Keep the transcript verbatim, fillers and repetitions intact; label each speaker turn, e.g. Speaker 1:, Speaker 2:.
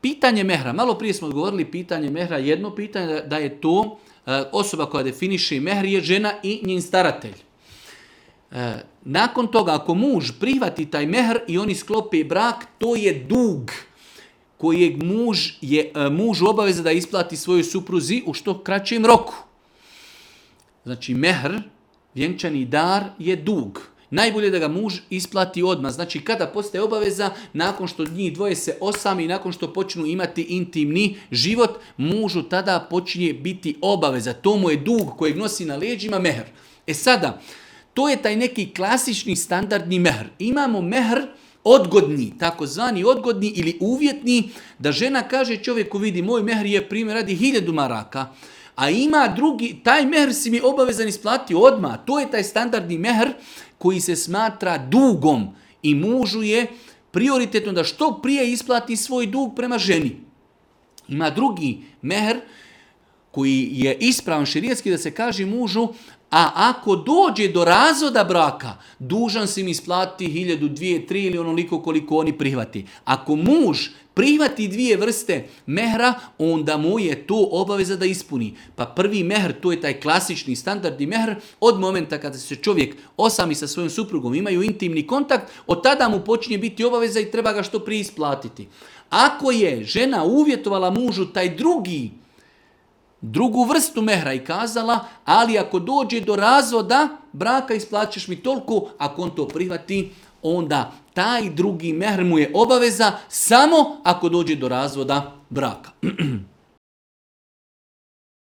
Speaker 1: pitanje mehra, malo prije smo odgovorili pitanje mehra, jedno pitanje da je to osoba koja definiše mehr je žena i njen staratelj. Nakon toga, ako muž prihvati taj mehr i oni sklope brak, to je dug kojeg muž je muž obaveza da isplati svojoj supruzi u što kraćem roku. Znači, mehr, vjenčani dar, je dug. Najbolje da ga muž isplati odmah. Znači, kada postaje obaveza, nakon što njih dvoje se osami i nakon što počnu imati intimni život, mužu tada počinje biti obaveza. To mu je dug kojeg nosi na leđima mehr. E sada, to je taj neki klasični standardni mehr. Imamo mehr odgodni, takozvani odgodni ili uvjetni, da žena kaže čovjeku, vidi, moj mehr je primjer radi hiljadu maraka, a ima drugi, taj mehr si mi obavezan isplatiti odmah. To je taj standardni mehr koji se smatra dugom i mužu je prioritetno da što prije isplati svoj dug prema ženi. Ima drugi mehr koji je ispravan šerijatski, da se kaže mužu, a ako dođe do razvoda braka, dužan si mi isplatiti hiljadu, dvije, tri ili onoliko koliko oni prihvati. Ako muž prihvati dvije vrste mehra, onda mu je to obaveza da ispuni. Pa prvi mehr, to je taj klasični standardni mehr, od momenta kada se čovjek osami sa svojom suprugom, imaju intimni kontakt, od tada mu počinje biti obaveza i treba ga što prije isplatiti. Ako je žena uvjetovala mužu taj drugi drugu vrstu mehra i kazala, ali ako dođe do razvoda braka isplaćaš mi toliko, ako on to prihvati, onda taj drugi mehr mu je obaveza samo ako dođe do razvoda braka.